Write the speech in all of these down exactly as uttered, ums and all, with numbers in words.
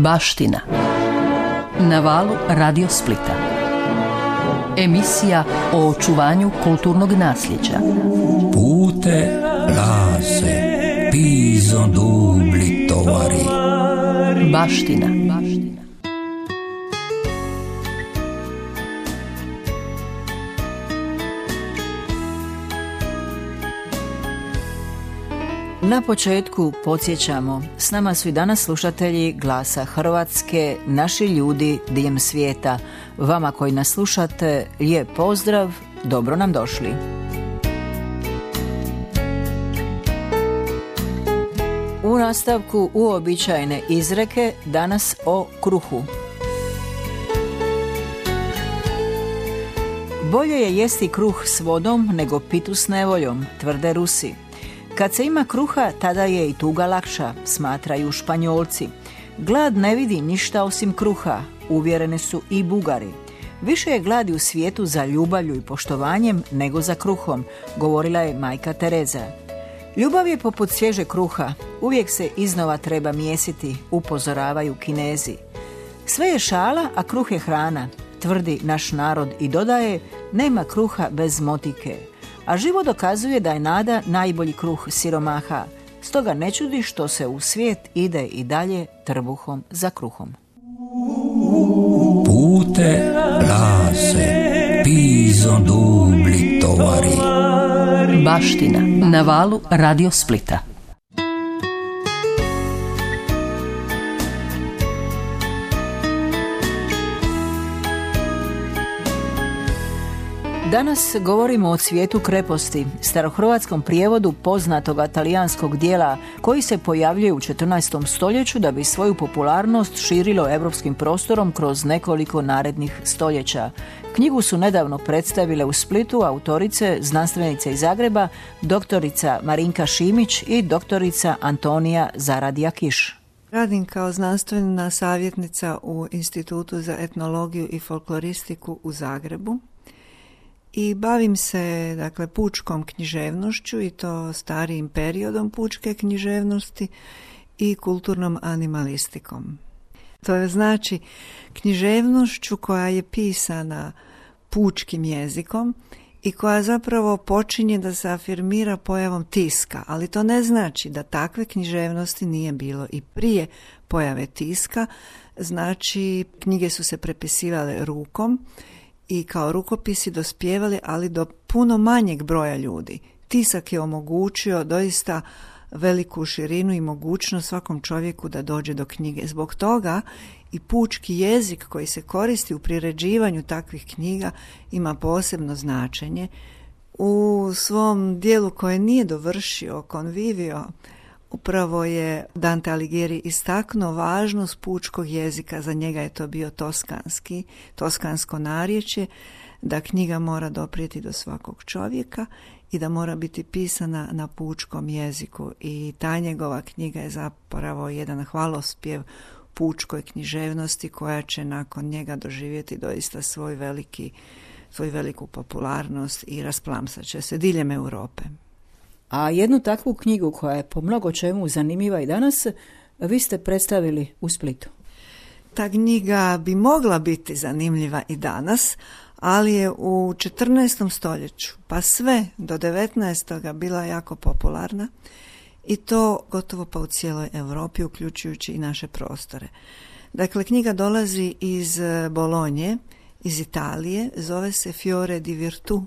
Baština. Na valu Radio Splita. Emisija o očuvanju kulturnog nasljeđa. Pute lase, piso dubli tovari. Baština. Na početku podsjećamo, s nama su i danas slušatelji Glasa Hrvatske, naši ljudi diljem svijeta. Vama koji nas slušate, lijep pozdrav, dobro nam došli. U nastavku uobičajene izreke, danas o kruhu. Bolje je jesti kruh s vodom nego pitu s nevoljom, tvrde Rusi. Kad se ima kruha, tada je i tuga lakša, smatraju Španjolci. Glad ne vidi ništa osim kruha, uvjereni su i Bugari. Više je gladi u svijetu za ljubavlju i poštovanjem nego za kruhom, govorila je majka Tereza. Ljubav je poput svježe kruha, uvijek se iznova treba mijesiti, upozoravaju Kinezi. Sve je šala, a kruh je hrana, tvrdi naš narod i dodaje, nema kruha bez motike. A život dokazuje da je nada najbolji kruh siromaha, stoga ne čudi što se u svijet ide i dalje trbuhom za kruhom. Pute lase, piso dubli tovari. Baština. Na valu Radio Splita. Danas govorimo o cvijetu kreposti, starohrvatskom prijevodu poznatoga talijanskog dijela koji se pojavljuje u četrnaestom stoljeću da bi svoju popularnost širilo europskim prostorom kroz nekoliko narednih stoljeća. Knjigu su nedavno predstavile u Splitu autorice, znanstvenice iz Zagreba, doktorica Marinka Šimić i doktorica Antonija Zaradija-Kiš. Radim kao znanstvena savjetnica u Institutu za etnologiju i folkloristiku u Zagrebu. I bavim se, dakle, pučkom književnošću i to starijim periodom pučke književnosti i kulturnom animalistikom. To je znači književnošću koja je pisana pučkim jezikom i koja zapravo počinje da se afirmira pojavom tiska, ali to ne znači da takve književnosti nije bilo i prije pojave tiska. Znači, knjige su se prepisivale rukom i kao rukopisi dospijevali, ali do puno manjeg broja ljudi. Tisak je omogućio doista veliku širinu i mogućnost svakom čovjeku da dođe do knjige. Zbog toga i pučki jezik koji se koristi u priređivanju takvih knjiga ima posebno značenje. U svom dijelu koje nije dovršio, Convivio, upravo je Dante Alighieri istaknuo važnost pučkog jezika, za njega je to bio toskanski, toskansko narječje, da knjiga mora doprijeti do svakog čovjeka i da mora biti pisana na pučkom jeziku. I ta njegova knjiga je zapravo jedan hvalospjev pučkoj književnosti koja će nakon njega doživjeti doista svoj veliki, svoju veliku popularnost i rasplamsat će se diljem Europe. A jednu takvu knjigu koja je po mnogo čemu zanimljiva i danas, vi ste predstavili u Splitu. Ta knjiga bi mogla biti zanimljiva i danas, ali je u četrnaestom stoljeću, pa sve do devetnaestoga bila jako popularna i to gotovo pa u cijeloj Europi, uključujući i naše prostore. Dakle, knjiga dolazi iz Bolonje, iz Italije, zove se Fiore di Virtù,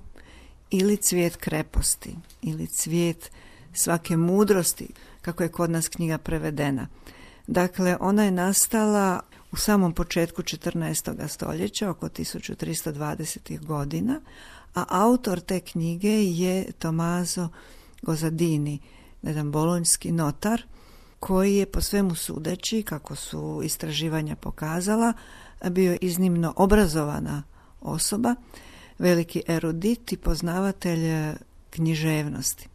ili cvijet kreposti, ili cvijet svake mudrosti, kako je kod nas knjiga prevedena. Dakle, ona je nastala u samom početku četrnaestog stoljeća, oko tisuću tristo dvadesetih godina, a autor te knjige je Tommaso Gozzadini, jedan bolonjski notar, koji je po svemu sudeći, kako su istraživanja pokazala, bio iznimno obrazovana osoba, veliki erudit i poznavatelj književnosti.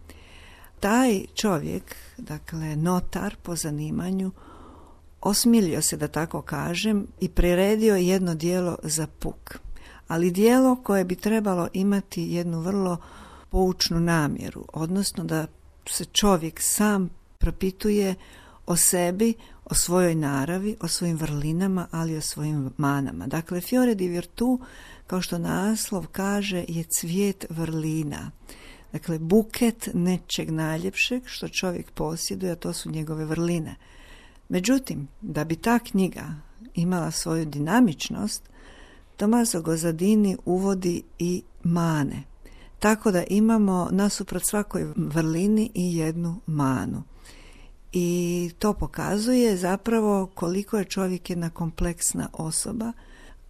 Taj čovjek, dakle notar po zanimanju, osmilio se, da tako kažem, i priredio jedno djelo za puk. Ali djelo koje bi trebalo imati jednu vrlo poučnu namjeru, odnosno da se čovjek sam propituje o sebi, o svojoj naravi, o svojim vrlinama, ali i o svojim manama. Dakle, Fiore di Virtù, kao što naslov kaže, je cvijet vrlina. Dakle, buket nečeg najljepšeg što čovjek posjeduje, a to su njegove vrline. Međutim, da bi ta knjiga imala svoju dinamičnost, Tommaso Gozzadini uvodi i mane. Tako da imamo nasuprot svakoj vrlini i jednu manu. I to pokazuje zapravo koliko je čovjek jedna kompleksna osoba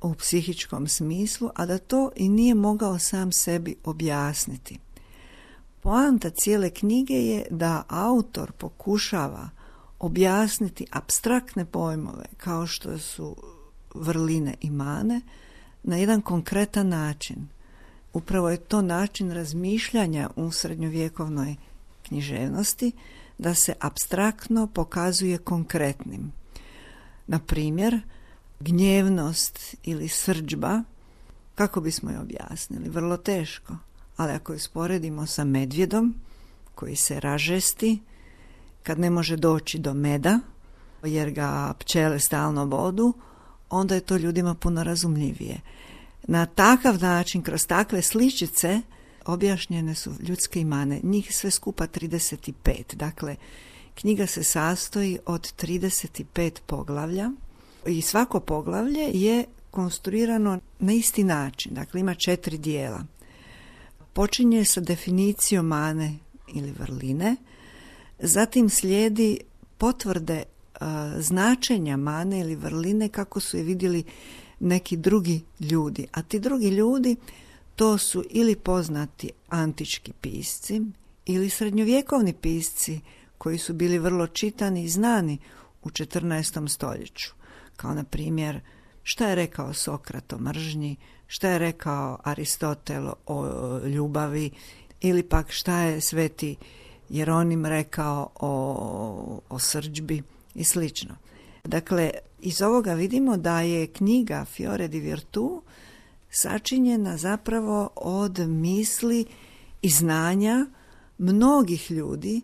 u psihičkom smislu, a da to i nije mogao sam sebi objasniti. Poanta cijele knjige je da autor pokušava objasniti apstraktne pojmove kao što su vrline i mane na jedan konkretan način. Upravo je to način razmišljanja u srednjovjekovnoj književnosti, da se apstraktno pokazuje konkretnim. Na primjer, gnjevnost ili srdžba, kako bismo je objasnili? Vrlo teško, ali ako je usporedimo sa medvjedom koji se ražesti kad ne može doći do meda jer ga pčele stalno bodu, onda je to ljudima puno razumljivije. Na takav način, kroz takve sličice, objašnjene su ljudske mane, njih sve skupa trideset pet. Dakle, knjiga se sastoji od trideset pet poglavlja i svako poglavlje je konstruirano na isti način. Dakle, ima četiri dijela. Počinje sa definicijom mane ili vrline, zatim slijedi potvrde uh, značenja mane ili vrline kako su je vidjeli neki drugi ljudi. A ti drugi ljudi, to su ili poznati antički pisci ili srednjovjekovni pisci koji su bili vrlo čitani i znani u četrnaestom stoljeću. Kao na primjer, šta je rekao Sokrat o mržnji, šta je rekao Aristotel o ljubavi, ili pak šta je sveti Jeronim rekao o, o srdžbi i slično. Dakle, iz ovoga vidimo da je knjiga Fiore di Virtù sačinjena zapravo od misli i znanja mnogih ljudi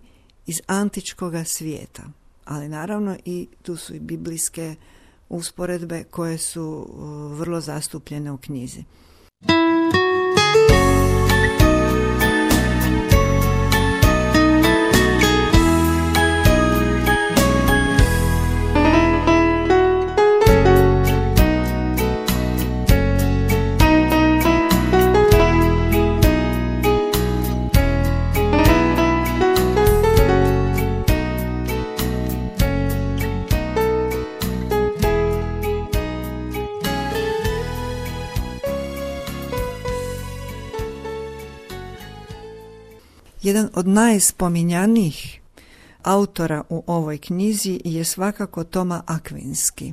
iz antičkoga svijeta. Ali naravno i tu su i biblijske usporedbe koje su vrlo zastupljene u knjizi. Jedan od najspominjanijih autora u ovoj knjizi je svakako Toma Akvinski.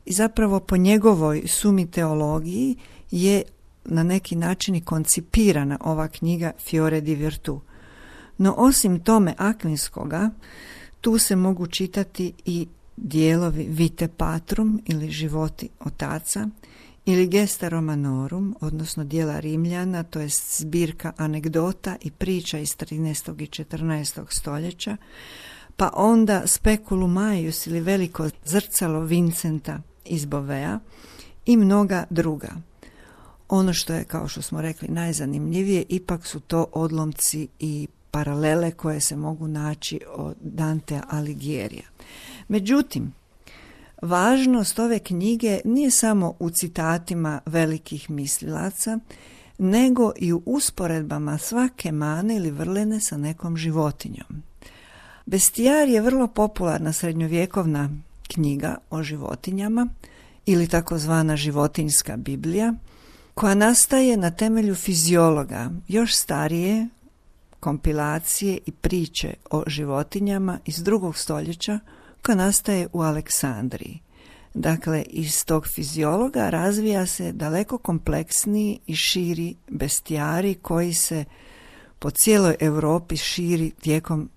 I zapravo po njegovoj sumi teologiji je na neki način i koncipirana ova knjiga Fiore di Virtù. No osim Tome Akvinskoga, tu se mogu čitati i dijelovi Vitae Patrum ili Životi otaca, ili Gesta Romanorum, odnosno dijela Rimljana, to je zbirka anegdota i priča iz trinaestog i četrnaestog stoljeća, pa onda Speculum Maius ili Veliko zrcalo Vincenta iz Bovea i mnoga druga. Ono što je, kao što smo rekli, najzanimljivije, ipak su to odlomci i paralele koje se mogu naći od Dantea Alighiera. Međutim, važnost ove knjige nije samo u citatima velikih mislilaca, nego i u usporedbama svake mane ili vrline sa nekom životinjom. Bestijar je vrlo popularna srednjovjekovna knjiga o životinjama ili takozvana životinjska Biblija, koja nastaje na temelju fiziologa, još starije kompilacije i priče o životinjama iz drugog stoljeća, koja nastaje u Aleksandriji. Dakle, iz tog fiziologa razvija se daleko kompleksniji i širi bestijari koji se po cijeloj Europi širi tijekom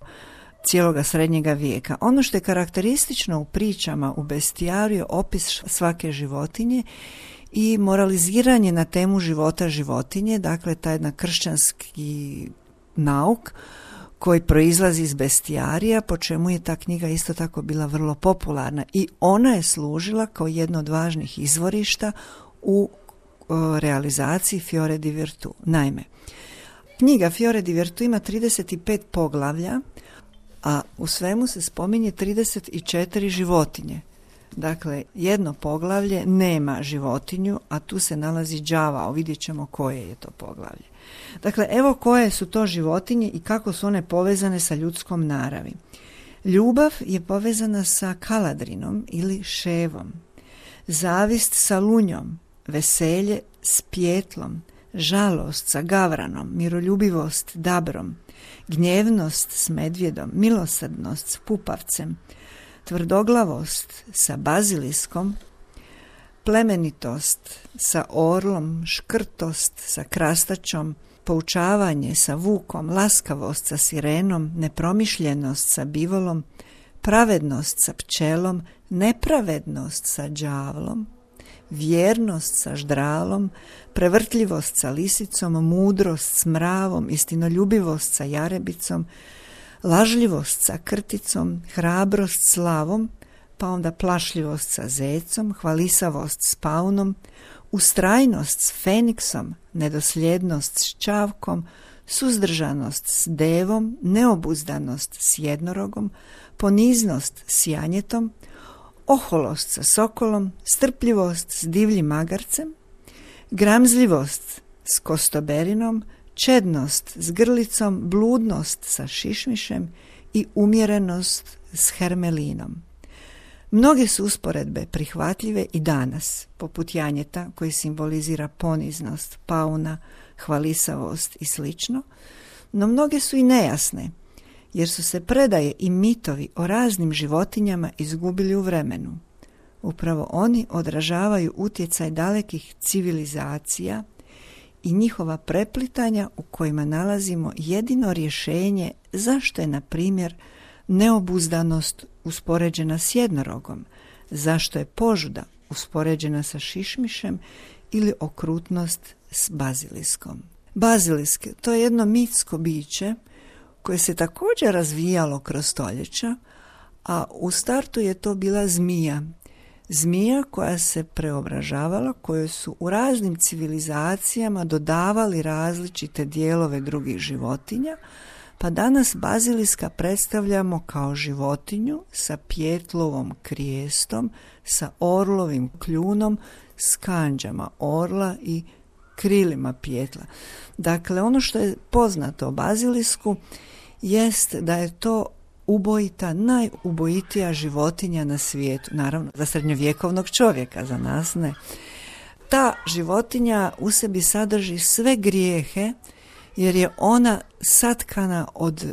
cijeloga srednjega vijeka. Ono što je karakteristično u pričama u bestijaru je opis svake životinje i moraliziranje na temu života životinje, dakle taj jedan kršćanski nauk koji proizlazi iz bestijarija, po čemu je ta knjiga isto tako bila vrlo popularna i ona je služila kao jedno od važnih izvorišta u o, realizaciji Fiore di Virtù. Naime, knjiga Fiore di Virtù ima trideset pet poglavlja, a u svemu se spominje trideset četiri životinje. Dakle, jedno poglavlje nema životinju, a tu se nalazi đavao, vidjet ćemo koje je to poglavlje. Dakle, evo koje su to životinje i kako su one povezane sa ljudskom naravi. Ljubav je povezana sa kaladrinom ili ševom, zavist sa lunjom, veselje s pjetlom, žalost sa gavranom, miroljubivost dabrom, gnjevnost s medvjedom, milosrdnost s pupavcem, tvrdoglavost sa baziliskom, plemenitost sa orlom, škrtost sa krastačom, poučavanje sa vukom, laskavost sa sirenom, nepromišljenost sa bivolom, pravednost sa pčelom, nepravednost sa đavlom, vjernost sa ždralom, prevrtljivost sa lisicom, mudrost s mravom, istinoljubivost sa jarebicom, lažljivost sa krticom, hrabrost s lavom, pa onda plašljivost sa zecom, hvalisavost s paunom, ustrajnost s feniksom, nedosljednost s čavkom, suzdržanost s devom, neobuzdanost s jednorogom, poniznost s janjetom, oholost sa sokolom, strpljivost s divljim magarcem, gramzljivost s kostoberinom, čednost s grlicom, bludnost sa šišmišem i umjerenost s hermelinom. Mnoge su usporedbe prihvatljive i danas, poput janjeta koji simbolizira poniznost, pauna, hvalisavost i slično, no mnoge su i nejasne, jer su se predaje i mitovi o raznim životinjama izgubili u vremenu. Upravo oni odražavaju utjecaj dalekih civilizacija i njihova preplitanja u kojima nalazimo jedino rješenje zašto je, na primjer, neobuzdanost uspoređena s jednorogom, zašto je požuda uspoređena sa šišmišem ili okrutnost s baziliskom. Bazilisk, to je jedno mitsko biće koje se također razvijalo kroz stoljeća, a u startu je to bila zmija. Zmija koja se preobražavala, koje su u raznim civilizacijama dodavali različite dijelove drugih životinja, pa danas baziliska predstavljamo kao životinju sa pjetlovom krijestom, sa orlovim kljunom, s kanđama orla i krilima pjetla. Dakle, ono što je poznato o bazilisku jest da je to ubojita, najubojitija životinja na svijetu. Naravno, za srednjovjekovnog čovjeka, za nas ne. Ta životinja u sebi sadrži sve grijehe, jer je ona satkana od e,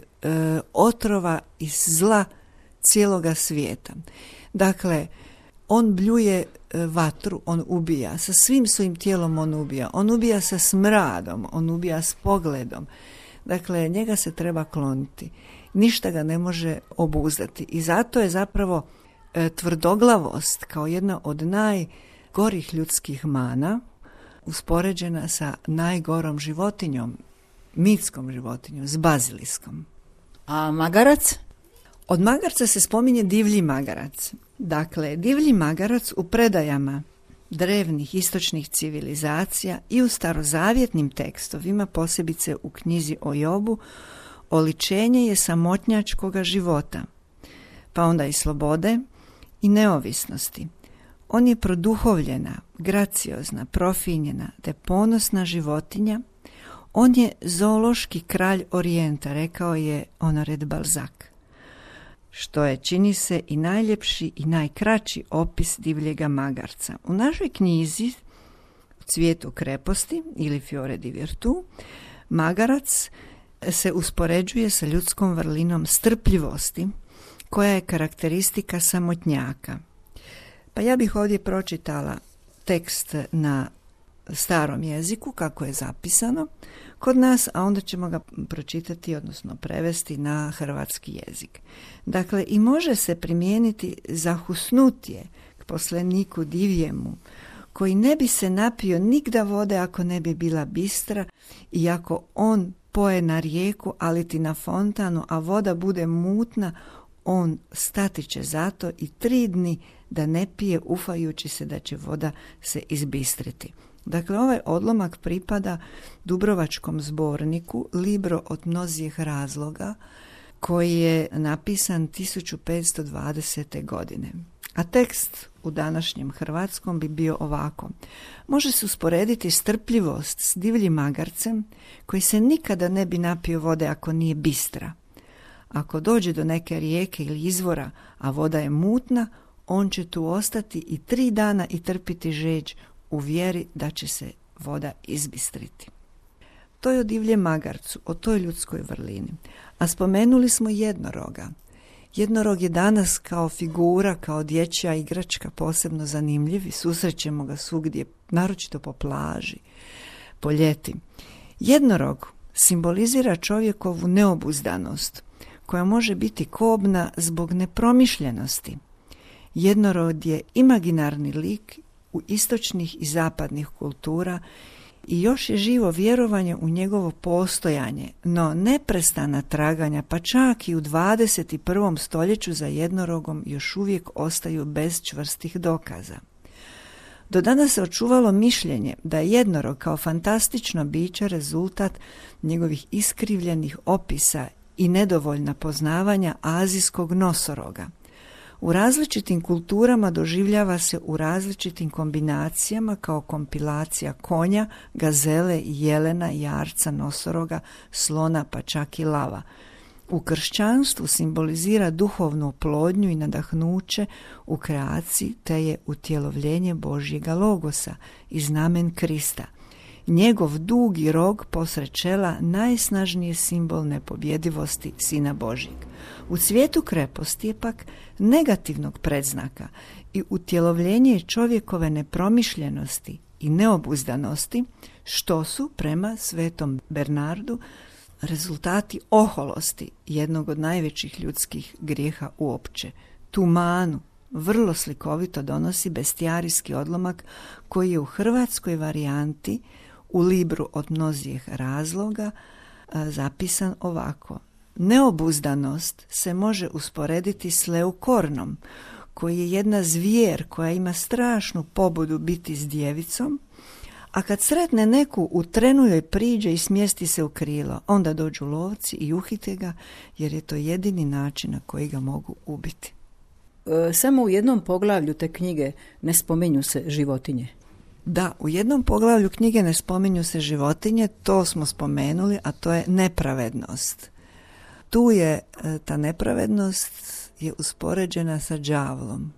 otrova i zla cijeloga svijeta. Dakle, on bljuje e, vatru, on ubija, sa svim svojim tijelom on ubija, on ubija sa smradom, on ubija s pogledom. Dakle, njega se treba kloniti. Ništa ga ne može obuzdati. I zato je zapravo e, tvrdoglavost kao jedna od najgorih ljudskih mana uspoređena sa najgorom životinjom, mitskom životinjom, s baziliskom. A magarac? Od magarca se spominje divlji magarac. Dakle, divlji magarac u predajama drevnih istočnih civilizacija i u starozavjetnim tekstovima, posebice u knjizi o Jobu, oličenje je samotnjačkoga života, pa onda i slobode i neovisnosti. On je produhovljena, graciozna, profinjena te ponosna životinja. On je zoološki kralj Orijenta, rekao je Honoré de Balzac, što je, čini se, i najljepši i najkraći opis divljega magarca. U našoj knjizi Cvijetu kreposti ili Fiore di Virtù magarac se uspoređuje sa ljudskom vrlinom strpljivosti, koja je karakteristika samotnjaka. Pa ja bih ovdje pročitala tekst na starom jeziku, kako je zapisano kod nas, a onda ćemo ga pročitati, odnosno prevesti na hrvatski jezik. Dakle, i može se primijeniti zahusnutje k poslaniku divjemu, koji ne bi se napio nigda vode ako ne bi bila bistra i ako on poje na rijeku, ali ti na fontanu, a voda bude mutna, on stati će zato i tri dni da ne pije, ufajući se da će voda se izbistriti. Dakle, ovaj odlomak pripada Dubrovačkom zborniku Libro od mnozih razloga, koji je napisan tisuću petsto dvadesete. godine. A tekst u današnjem hrvatskom bi bio ovako. Može se usporediti strpljivost s divljim magarcem koji se nikada ne bi napio vode ako nije bistra. Ako dođe do neke rijeke ili izvora, a voda je mutna, on će tu ostati i tri dana i trpiti žeđ u vjeri da će se voda izbistriti. To je o divljem magarcu, o toj ljudskoj vrlini. A spomenuli smo jednoroga. Jednorog je danas kao figura, kao dječja igračka posebno zanimljiv i susrećemo ga svugdje, naročito po plaži, po ljeti. Jednorog simbolizira čovjekovu neobuzdanost, koja može biti kobna zbog nepromišljenosti. Jednorod je imaginarni lik u istočnih i zapadnih kultura i još je živo vjerovanje u njegovo postojanje, no neprestana traganja, pa čak i u dvadeset prvom stoljeću za jednorogom još uvijek ostaju bez čvrstih dokaza. Do danas se očuvalo mišljenje da je jednorog kao fantastično biće rezultat njegovih iskrivljenih opisa i nedovoljna poznavanja azijskog nosoroga. U različitim kulturama doživljava se u različitim kombinacijama kao kompilacija konja, gazele, jelena, jarca, nosoroga, slona pa čak i lava. U kršćanstvu simbolizira duhovnu oplodnju i nadahnuće u kreaciji, te je utjelovljenje Božjega logosa i znamen Krista. Njegov dugi rog posred čela najsnažniji je simbol nepobjedivosti Sina Božjeg. U cvijetu kreposti je pak negativnog predznaka i utjelovljenje čovjekove nepromišljenosti i neobuzdanosti, što su prema svetom Bernardu rezultati oholosti, jednog od najvećih ljudskih grijeha uopće. Tu manu vrlo slikovito donosi bestijarijski odlomak koji je u hrvatskoj varijanti u Libru od mnozih razloga zapisan ovako. Neobuzdanost se može usporediti s leukornom, koji je jedna zvijer koja ima strašnu pobudu biti s djevicom, a kad sretne neku u trenu joj priđe i smjesti se u krilo, onda dođu lovci i uhite ga, jer je to jedini način na koji ga mogu ubiti. E, samo u jednom poglavlju te knjige ne spominju se životinje. Da, u jednom poglavlju knjige ne spominju se životinje, to smo spomenuli, a to je nepravednost. Tu je ta nepravednost je uspoređena sa đavlom.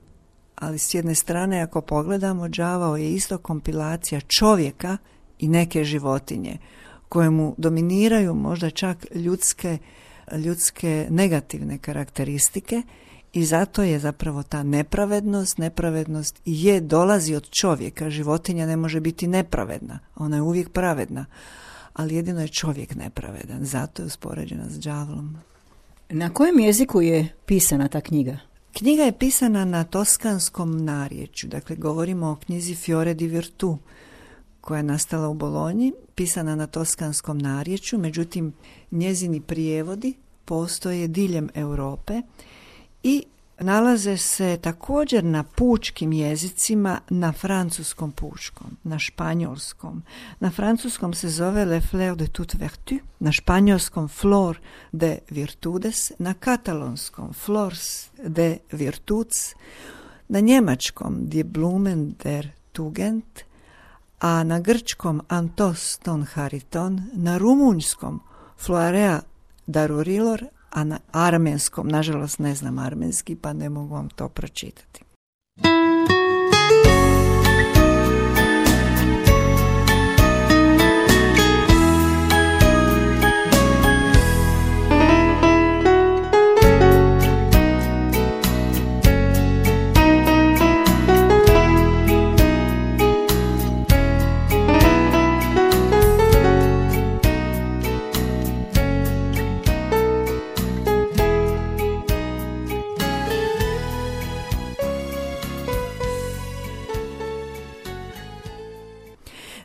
Ali s jedne strane, ako pogledamo, đavao je isto kompilacija čovjeka i neke životinje, kojemu dominiraju možda čak ljudske, ljudske negativne karakteristike i zato je zapravo ta nepravednost, nepravednost je dolazi od čovjeka. Životinja ne može biti nepravedna, ona je uvijek pravedna, ali jedino je čovjek nepravedan, zato je uspoređena s đavlom. Na kojem jeziku je pisana ta knjiga? Knjiga je pisana na toskanskom narječju, dakle govorimo o knjizi Fiore di Virtù, koja je nastala u Bolonji, pisana na toskanskom narječju, međutim njezini prijevodi postoje diljem Europe i nalaze se također na pučkim jezicima, na francuskom pučkom, na španjolskom. Na francuskom se zove Le Fleur de toute vertu, na španjolskom Flor de virtudes, na katalonskom Flors de virtuts, na njemačkom Die Blumen der Tugend, a na grčkom Antos ton Hariton, na rumunjskom Floarea darurilor, a na armenskom, nažalost ne znam armenski, pa ne mogu vam to pročitati.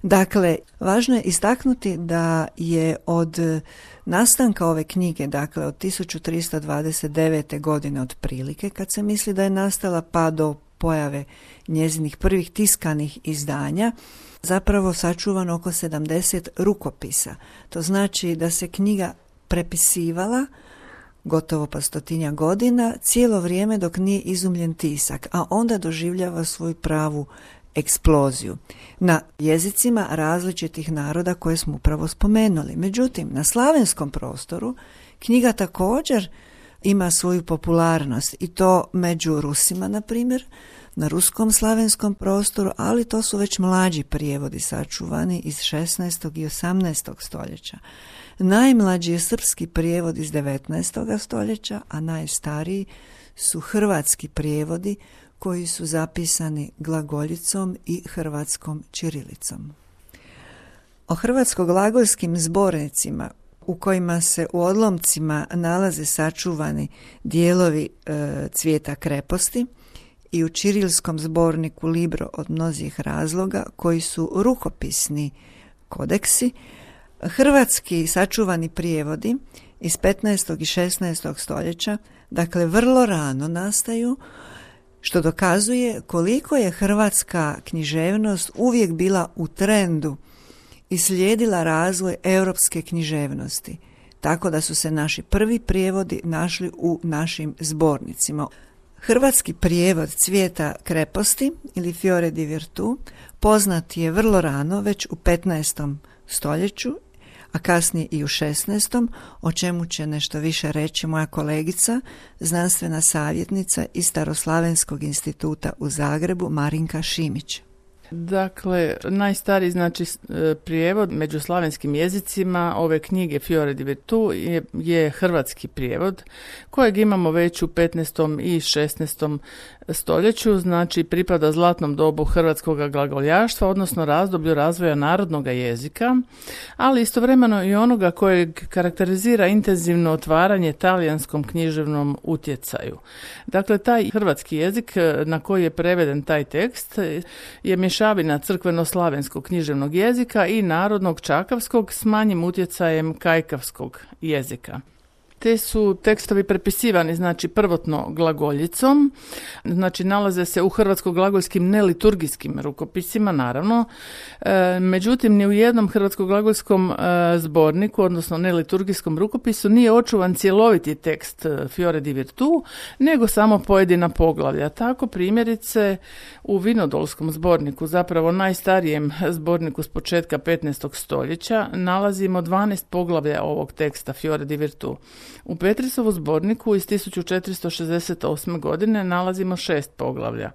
Dakle, važno je istaknuti da je od nastanka ove knjige, dakle od tisuću tristo dvadeset devete. godine otprilike, kad se misli da je nastala, pa do pojave njezinih prvih tiskanih izdanja, zapravo sačuvano oko sedamdeset rukopisa. To znači da se knjiga prepisivala gotovo pa stotinja godina, cijelo vrijeme dok nije izumljen tisak, a onda doživljava svoju pravu eksploziju na jezicima različitih naroda koje smo upravo spomenuli. Međutim, na slavenskom prostoru knjiga također ima svoju popularnost i to među Rusima, na primjer, na ruskom slavenskom prostoru, ali to su već mlađi prijevodi sačuvani iz šesnaestog i osamnaestog stoljeća. Najmlađi je srpski prijevod iz devetnaestog stoljeća, a najstariji su hrvatski prijevodi koji su zapisani glagoljicom i hrvatskom ćirilicom. O hrvatsko-glagolskim zbornicima u kojima se u odlomcima nalaze sačuvani dijelovi e, cvijeta kreposti i u ćirilskom zborniku Libro od mnozih razloga koji su rukopisni kodeksi, hrvatski sačuvani prijevodi iz petnaestog i šesnaestog stoljeća, dakle vrlo rano nastaju, što dokazuje koliko je hrvatska književnost uvijek bila u trendu i slijedila razvoj europske književnosti, tako da su se naši prvi prijevodi našli u našim zbornicima. Hrvatski prijevod cvijeta kreposti ili Fiore di Virtù poznat je vrlo rano, već u petnaestom stoljeću, a kasnije i u šesnaestom, o čemu će nešto više reći moja kolegica, znanstvena savjetnica iz Staroslavenskog instituta u Zagrebu, Marinka Šimić. Dakle, najstariji znači prijevod među slavenskim jezicima ove knjige Fiore di Virtù je, je hrvatski prijevod kojeg imamo već u petnaestom i šesnaestom stoljeću, znači pripada zlatnom dobu hrvatskog glagoljaštva, odnosno razdoblju razvoja narodnog jezika, ali istovremeno i onoga kojeg karakterizira intenzivno otvaranje talijanskom književnom utjecaju. Dakle, taj hrvatski jezik na koji je preveden taj tekst je mješavina crkveno-slavenskog književnog jezika i narodnog čakavskog s manjim utjecajem kajkavskog jezika. Te su tekstovi prepisivani, znači prvotno glagoljicom, znači nalaze se u hrvatsko-glagolskim neliturgijskim rukopisima, naravno. E, međutim, ni u jednom hrvatsko-glagolskom e, zborniku, odnosno neliturgijskom rukopisu, nije očuvan cjeloviti tekst Fiore di Virtù, nego samo pojedina poglavlja. Tako primjerice u Vinodolskom zborniku, zapravo najstarijem zborniku s početka petnaestog stoljeća, nalazimo dvanaest poglavlja ovog teksta Fiore di Virtù. U Petrisovu zborniku iz tisuću četiristo šezdeset osme. godine nalazimo šest poglavlja.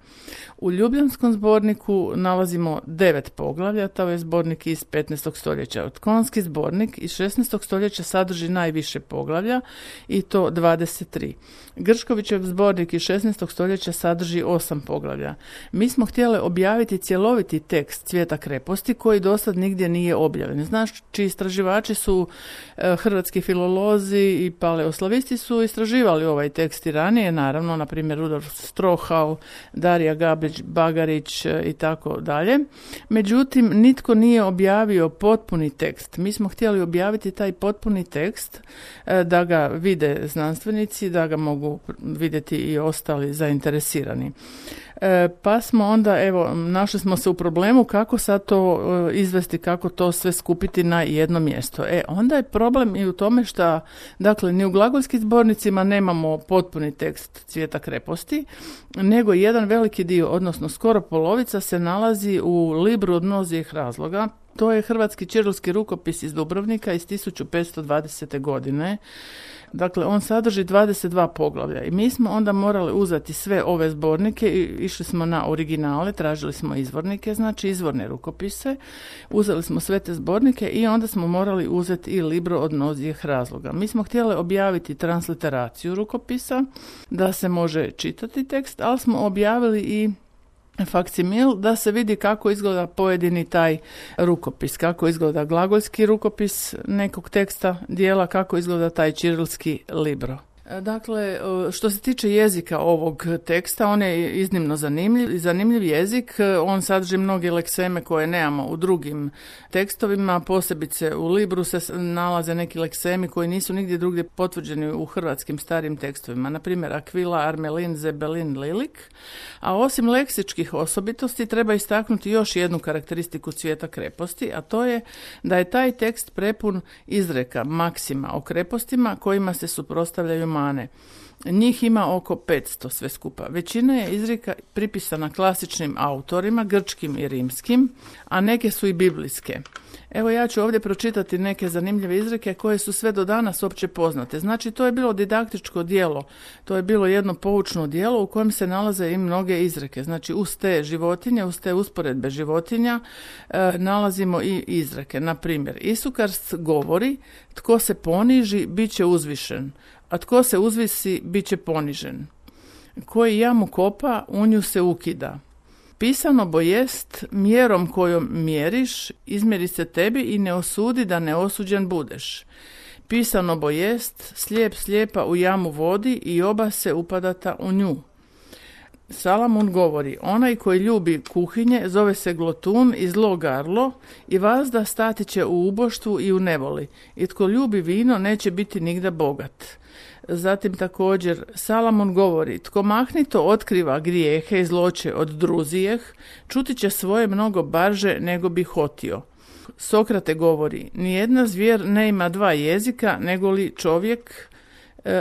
U Ljubljanskom zborniku nalazimo devet poglavlja, to je zbornik iz petnaestog stoljeća. Otkonski zbornik iz šesnaestog stoljeća sadrži najviše poglavlja i to dvadeset tri. Grškovićev zbornik iz šesnaestog stoljeća sadrži osam poglavlja. Mi smo htjeli objaviti cjeloviti tekst Cvijeta kreposti koji dosad nigdje nije objavljen. Znači, istraživači su e, hrvatski filolozi i paleoslavisti su istraživali ovaj tekst i ranije, naravno, na primjer Rudolf Strohau, Darija Gabrić-Bagarić i tako dalje. Međutim, nitko nije objavio potpuni tekst. Mi smo htjeli objaviti taj potpuni tekst e, da ga vide znanstvenici, da ga mogu vidjeti i ostali zainteresirani. E, pa smo onda, evo, našli smo se u problemu kako sad to e, izvesti, kako to sve skupiti na jedno mjesto. E, onda je problem i u tome što, dakle, ni u glagolskim zbornicima nemamo potpuni tekst Cvijeta kreposti, nego jedan veliki dio, odnosno skoro polovica, se nalazi u Libru od mnozih razloga. To je hrvatski ćirilski rukopis iz Dubrovnika iz tisuću petsto dvadesete. godine. Dakle, on sadrži dvadeset dva poglavlja i mi smo onda morali uzeti sve ove zbornike i išli smo na originale, tražili smo izvornike, znači izvorne rukopise, uzeli smo sve te zbornike i onda smo morali uzeti i Libro od mnozih razloga. Mi smo htjeli objaviti transliteraciju rukopisa, da se može čitati tekst, ali smo objavili i faksimil da se vidi kako izgleda pojedini taj rukopis, kako izgleda glagoljski rukopis nekog teksta dijela, kako izgleda taj ćirilski libro. Dakle, što se tiče jezika ovog teksta, on je iznimno zanimljiv. Zanimljiv jezik, on sadrži mnoge lekseme koje nemamo u drugim tekstovima, posebice u Libru se nalaze neki leksemi koji nisu nigdje drugdje potvrđeni u hrvatskim starim tekstovima, na primjer Akvila, Armelin, Zebelin, Lilik. A osim leksičkih osobitosti treba istaknuti još jednu karakteristiku Cvijeta kreposti, a to je da je taj tekst prepun izreka, maksima o krepostima kojima se suprotstavljaju mane. Njih ima oko petsto sve skupa. Većina je izreka pripisana klasičnim autorima, grčkim i rimskim, a neke su i biblijske. Evo ja ću ovdje pročitati neke zanimljive izreke koje su sve do danas opće poznate. Znači to je bilo didaktičko djelo, to je bilo jedno poučno djelo u kojem se nalaze i mnoge izreke. Znači uz te životinje, uz te usporedbe životinja e, nalazimo i izreke. Na primjer, Isukarst govori, tko se poniži, bit će uzvišen, a tko se uzvisi, bit će ponižen. Koji jamu kopa, u nju se ukida. Pisano bo jest, mjerom kojom mjeriš, izmjeri se tebi i ne osudi da neosuđen budeš. Pisano bo jest, slijep slijepa u jamu vodi i oba se upadata u nju. Salamun govori, onaj koji ljubi kuhinje zove se glotun i zlo garlo i vazda stati će u uboštvu i u nevoli. I tko ljubi vino neće biti nigda bogat. Zatim također Salamon govori, tko mahnito otkriva grijehe i zloće od druzijeh, čuti će svoje mnogo barže nego bi hotio. Sokrate govori, nijedna zvijer ne ima dva jezika nego li čovjek.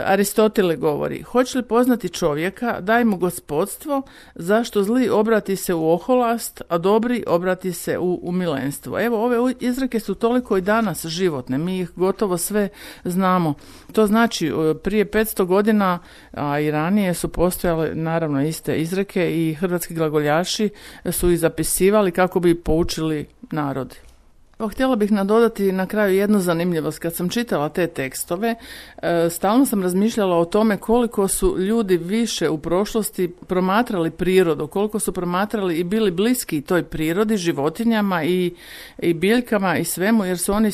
Aristotele govori, hoće li poznati čovjeka, daj mu gospodstvo, zašto zli obrati se u oholast, a dobri obrati se u umilenstvo. Evo, ove izreke su toliko i danas životne, mi ih gotovo sve znamo. To znači, prije petsto godina, a i ranije su postojale naravno iste izreke i hrvatski glagoljaši su ih zapisivali kako bi poučili narod. Pa htjela bih nadodati na kraju jednu zanimljivost. Kad sam čitala te tekstove, stalno sam razmišljala o tome koliko su ljudi više u prošlosti promatrali prirodu, koliko su promatrali i bili bliski toj prirodi, životinjama i, i biljkama i svemu, jer su oni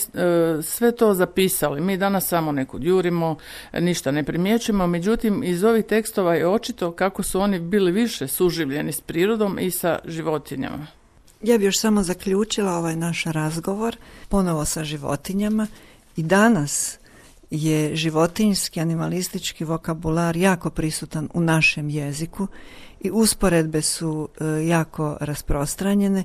sve to zapisali. Mi danas samo nekud jurimo, ništa ne primjećujemo, međutim iz ovih tekstova je očito kako su oni bili više suživljeni s prirodom i sa životinjama. Ja bih još samo zaključila ovaj naš razgovor ponovo sa životinjama. I danas je životinjski, animalistički vokabular jako prisutan u našem jeziku i usporedbe su e, jako rasprostranjene.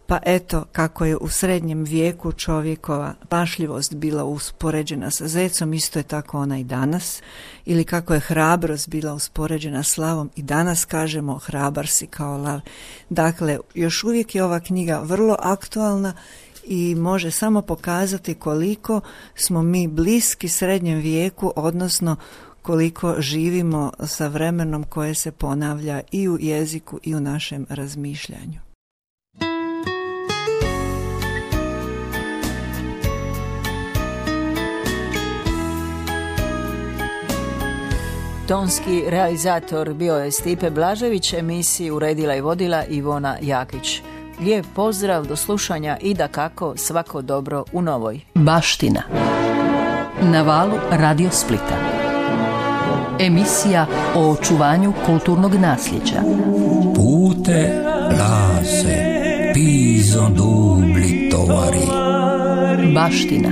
Pa eto, kako je u srednjem vijeku čovjekova pašljivost bila uspoređena sa zecom, isto je tako ona i danas. Ili kako je hrabrost bila uspoređena s lavom, i danas kažemo hrabar si kao lav. Dakle, još uvijek je ova knjiga vrlo aktualna i može samo pokazati koliko smo mi bliski srednjem vijeku, odnosno koliko živimo sa vremenom koje se ponavlja i u jeziku i u našem razmišljanju. Tonski realizator bio je Stipe Blažević, emisiju uredila i vodila Ivona Jakić. Lijep pozdrav, do slušanja i dakako svako dobro u novoj. Baština. Na valu Radio Splita. Emisija o očuvanju kulturnog nasljeđa. Pute lase, pizon dubli tovari. Baština.